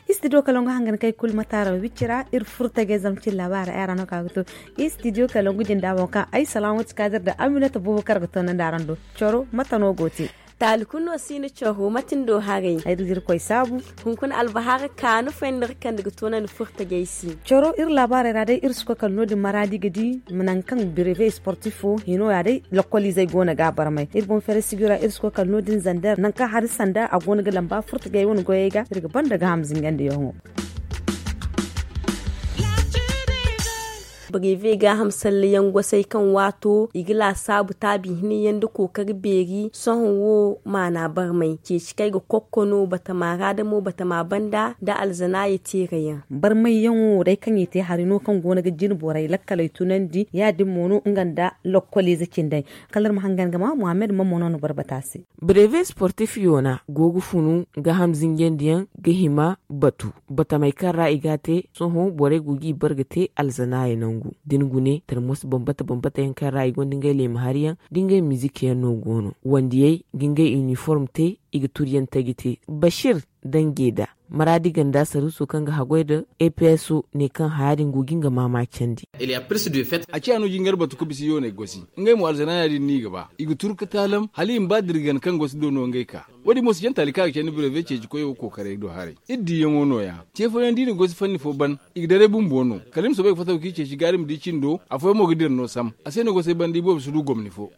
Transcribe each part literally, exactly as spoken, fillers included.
Istidiyo kalangu hangan kay kulu mataara wicci ra iri furta ga zamcin labaara ay ra no ka ga to. Istidiyo kalangu jinda boŋ kaŋ ay salamu ti kadir da aminata bubakar ga to nan da aran do. Coro mata no go te? Taali kulu no si ni coro mate ni do haray? Ay da jirkoy saabu. Hunkuna albahara kaanu fayndar kaŋ ni ga to nan furta ga ay si. Coro iri labaarey ra day iri si koy kala no- din maraadi ga di nangu kaŋ bireve sportif wo hino ya day lokoliizey go no ga barmay iri boŋ fere sigi ra iri si koy kala no- din zander nangu kaŋ hari sanda a go no ga lamba furta ga ay wane goyey ga iri ga banda ga ham zingandiyaŋo. Bireve gaaham sallayaŋ gosay kaŋ waato i ga laasaabu taabi hinayaŋ nda kookari beeri sohõ wo maana barmay ceeci kaŋ ay ga kokko no batama ra da mo batama banda nda alzanaaya teerayaŋ. Barmayyaŋo wo day kaŋ i te hari no kaŋ go no ga jine borey lakkaley tunandi ya- din mo no nga nda lokkoliize cindey. Kala iri ma hangan ga ma muhammad mamma no na boro bata se. Breve sportif yoona go ga funu gaaham zinjandiyaŋ ga hima batu batamey kaŋ ra i ga a te. Sohõ borey go g'i bare ga te alzanaaya nangu da ni gune tarmos bambata bambata yaŋ kaŋ ra i gonda ngey leema hari yaŋ da ngey mizik yaŋ no go no wandiyey ga ngey iniform te. I ga turiyaŋ taji te bashir dange da maraadi ganda saruuso kaŋ ga haggoy nda eps ne kaŋ haya din go ga nga maama candi. A ciya no jingar batu ka bisa yooney gosi ngey mo alzanaaya din no i ga ba i ga turu ka taalam hala i ma ba dirgan kaŋ gosi do no ngey ka. Wo- din mo si jaŋ taali kaŋ a ga candi bireve ceeci koyo kookaray do haray. Iri diyaŋo no- ya ce fooyaŋ da i na gosi fanni fo ban i ga daray bumbo no kala i ma soobay ga fataw kaŋ i ceeci gaari ma di cindo afooyaŋ mo ga dira no sam a se no gosey banda iboobo si du gomni fo.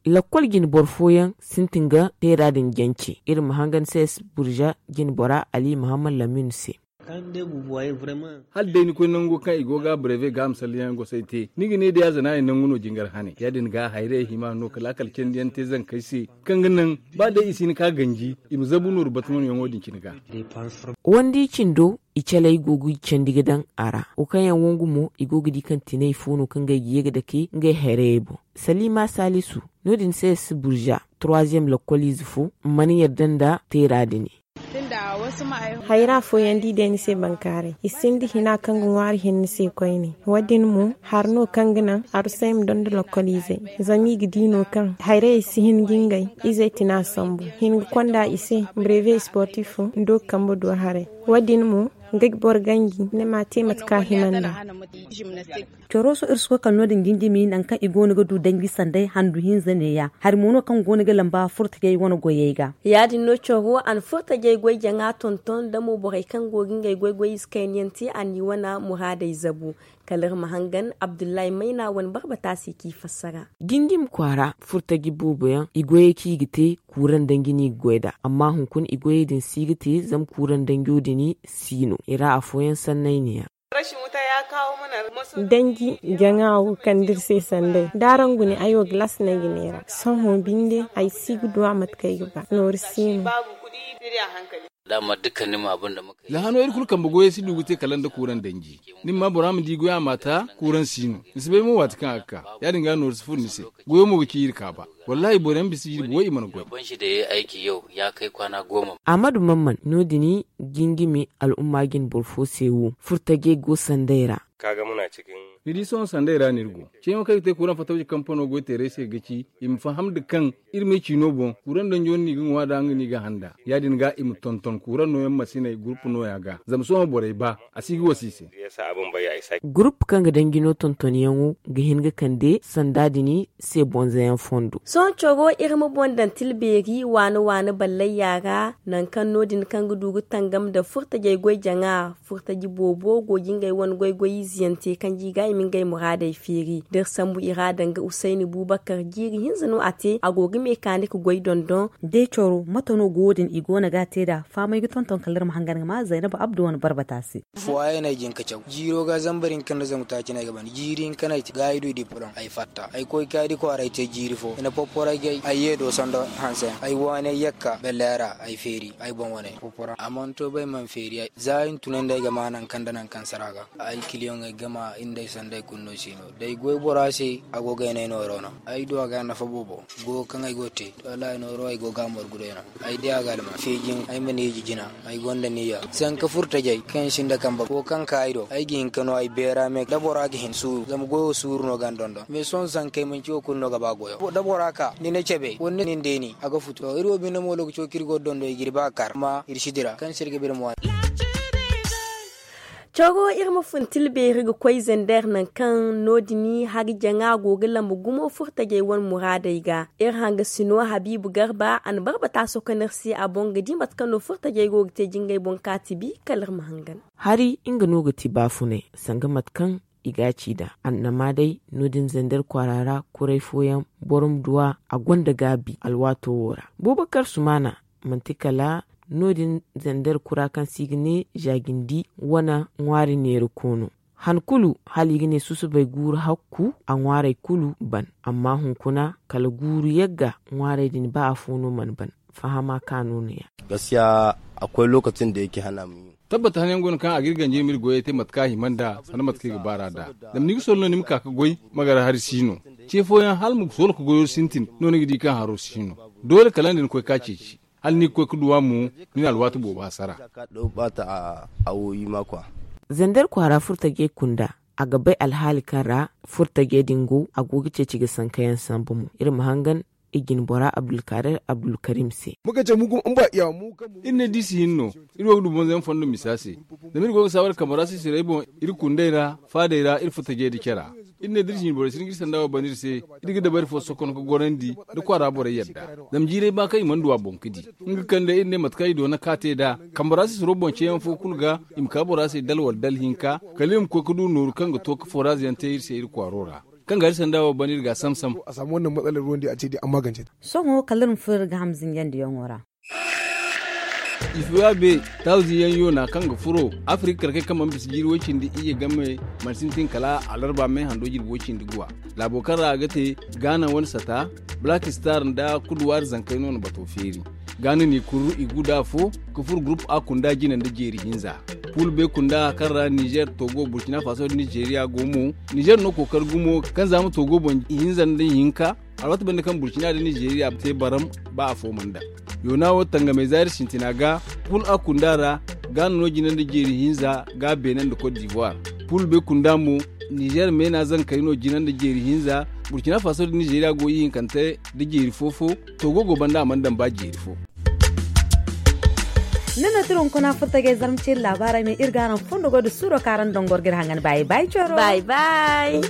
Lakkol jine boro fooyaŋ sintin ga teera din jance iri ma hangan cs burza jine bora ali muhammad lamin se. Hala day ni koy nango kaŋ i go ga breve ga a ma salliyaŋ gosay te ni ga ne day a zana yaŋ nangu no jingar hane ya- din ga hayrayey hima no ka laakal candiyaŋ te zankey se kaŋ ga naŋ ba day i si hin ka ganji i ma zabu nooru batmanyaŋo din cine ga. Wandi cindo i caley go ga i candi ga daŋ a ra wo kaŋ yaŋ wangu mo i go ga di kaŋ tinay fo no kaŋ ga ay ga ye ga dake ngey hayrayey boŋ. Salima salisu no- din se si burza troisième lakkoliize fo mana yarda nda teera din. Hayra fooyaŋ da i day ni se bankaaray i sinda hina kaŋ ga ŋwaari hinne se koyne. Wo- din mo hari no kaŋ ga naŋ arusay ma donda lakkoliizey zama i ga di no kaŋ hayrayey si hin ga ngey izey tina sambu hin ga konda i se breve sportif fo ndo ga kambe do haray. Wo- din mo nga ga boro ganji ni ma te mate kaŋ a hima nd'a. Coro sohõ iri si koy kala no- din jinjimi nangu kaŋ i go no ga du danji sanday handu hinza neeya hari mo no kaŋ go no ga lamba furtajey wane goyey ga. Ya- din no coro a na furtajey goy jaŋa tonton da mo borey kaŋ go ga ngey goy goy ize kayna yaŋ te a n'i wane muraadey zabu. Kala iri ma hangan abdullahi mayna wane barbata se k'i fassara. Jinjimi kwaara furtaji boobo yaŋ i goyey kaŋ i ga te kuuraŋ danji no i ga goy nd'a amma hunkuna i goyey din si ga te zama kuuraŋ danjo din si no i ra afooyaŋ sanney ne- ya. Danji jaŋa wo kaŋ da iri se sanday da araŋ gune ay wo galas no ay ga neera sohõ binde ay si ga du a mate kaŋ ay ga ba nooru si no. Da hano iri kulu kambe goyey si du ga te kala nda kuuraŋ danji. Ni ma ma bora ma di goya ma ta kuuraŋ si no ni si bay mo waati kaŋ a ga ka. Ya- din ga nooru si furo ni se. Goyo mo ga ci iri kaaba. Wallahi boro yaŋ bisa jirbi way i mana goy. Ahmadu mamman no- din jingimi al'umma jine boro fo se wo furtajey go sanday ra. Ni di sohõ sanday ra no iri go. Ceeyaŋo kaŋ i ga te kuuraŋ fatawji kampano goyteerey se ga ci i ma faham nda kaŋ iri m'ay ciino boŋ kuuraŋ danjo no i ga ŋwa nd'a nga no i ga handa. Ya- din ga i ma tonton kuuraŋ nooyaŋ masiney gurupu nooya ga zama sohõ borey ba a si ga wasa i se. Gurupu kaŋ ga danji no tontonyaŋo ga hin ga kande sanda din se bonzayaŋ fondo. Sohõ coro iri ma boŋ daŋ tilbeeri waani waani ballayya ra nangu kaŋ no- din kaŋ ga du ga tangam nda furtajey goy jaŋa. Furtaji boobo go ga ngey wane goy goy ize yaŋ te kaŋ ji ga i ma ngey muraadey feeri da iri sambu i ra danga usayni bubakar jiiri hinza no a te a go ga meekaanik goy dondon. Day coro mate no go wo- din i go no ga a te nd'a fahamay ga tonton kala iri ma hangan ga ma zaynaba abdu wane barbata se. Fuwaayey no ay jin ka caw jiiro ga zambar hinka nda zangu taaci no ay ga ban jiiri hinka no ay te ga ay du i di poloŋ ay fatta ay koy ka di kwaara ay te jiiri fo i na porporo ay gay ay ye do sanda hanse ay waani ay yakka belleera ay feeri ay boŋ wane porporo a mana to bay mana feeri ay za ay na tunandi ay ga ma nangu kaŋ nda nangu kaŋ sara ga ay kiliyaŋ. Ay gama iri nda ay sanday kulu no si no. Day goy bora se a go ga ay nay nooro no. Ay du a ga nafa boobo go kaŋ ay go ga te. Wallaahi nooro ay go ga a margu day no. Ay di a ga alma feejin ay ma ni iji jina. Ay gonda niya sanka furtajay kaŋ sinda kamba fo kaŋ ka ay do ay ga hin ka no ay beera me da bora ga hin suuru zama goyo suuru no ga ni dondon mais sohõ sankey manci wo kulu no ga ba goyo da bora ka ni na cabe wala ni na ni deeni a ga futu to iri wo binde mo lokaco kaŋ iri go ga dondo i ga iri ba kar amma iri si dira kaŋ se iri ga ba iri ma waani. Coro iri ma fun tilbeeri ga koy zender nangu kaŋ no- din hari jaŋa go ga lambu gumo furtajey wane muraadey ga. Iri hanga sino habiibu garba a na barbata sokonir se a boŋ ga di mate kaŋ no furtajey go ga te jingay boŋ kaati bi kala iri ma hangan. Hari nga no ga ti baafunay sanga mate kaŋ i ga a ci nd'a annama day no- din zender kwaara ra kuray fooyaŋ boro ma du a a gonda gaabi alwaato wo ra. Bubakar sumaana manti kala no- din zender kura kaŋ se i ga ne zaajindi wane ŋwaari neera koono. Han kulu hala i ga ne susubay guuru hakku a ŋwaarey kulu ban amma hunkuna kala guuru yagga ŋwaarey din ba afo no mana ban. Fahama kaŋ a no no- ya. Gaskiya akwai lokacin da yake hana mu yi. Tabbata hanayaŋ go no kaŋ a ga iri ganji iri ma iri goyey te mate kaŋ a hima nd'a sanda mate kaŋ i ga baar'a nd'a. Zama ni ga soro no ni ma ka ga goy ma gar hari si no. Ce fooyaŋ hala ma soro ga goyo sintin no ni ga di kaŋ haro si no. Doole kala nda ni koy ka ceeci hala ni ga koy ga duw'a mo. Ni na alwaati boobo hasara. Zender kwaara furtajey kunda a ga bay alhaali kaŋ ra furtajey din go a go ga ceeci ga sankayaŋ sambu mo iri ma hangan i jinbora abdulkarim se. Iri ne da iri si hin no iri wo ga du bonzayaŋ fondo misa se. Zama iri go ga saawar kambe ra sisirey boŋ iri kundey ra faadey ra iri furtajey da cara. Iri ne da iri jinborey si hin ga iri sanda wo ban iri se iri ga dabari fo sokon ga gorandi da kwaara borey yadda. Zama jiiray ba kaŋ i mana du a boŋ ga di nga kande iri ne mate kaŋ i doona ka te nd'a. Kambe ra sisiro boŋ ceeyaŋ fo kulu ga i ma ka bora se dala wala dala hinka kala iri ma koy ga du nooru kaŋ ga to ga foraaz yaŋ te iri se iri kwaaro ra. Kaŋ ga iri sanda wo ban iri ga a samsam. Sohõ kala iri ma furo iri ga ham zinjandiyaŋo ra. Ifuwa be tawzi yaŋ yoona kaŋ ga furo afirika karkey kaŋ mana bisa jiiri way-cindi iyye game mana sintin kala alarba me hando jirbi way-cindi guwa. Laabo kaŋ ra a ga te gaana wane sata black star nda kuduwaari zankey no na bato feeri. Gaana ni kurru i gu da afo ga furo gurup a kunda jina nda jeeri hinza. Pul be kunda kaŋ ra nizer togo burkina faso nda nizeriya go mo. Nizer no kookari gumo kaŋ za ma togo boŋ ihinza nda ihinka. Alwaati banda kaŋ burkina nda nizeriya te baram ba afo mana daŋ. Yoona wo tangamey zaari sintina ga pul a kunda ra. Gaana no jina nda jeeri hinza ga beene nda kot divoire. Pul be kunda mo nizer meena zankey no jina nda jeeri hinza. Burkina faso nda nizeriya go ihinkante nda jeeri fo fo. Togo go banda a mana daŋ ba jeeri fo. Ni no tira hunkuna furtagay zarma ceeri laabaarey me iri ga araŋ fondo goy da suuro kaŋ araŋ dongor ga iri hangan baayi baayi coro baayi baayi.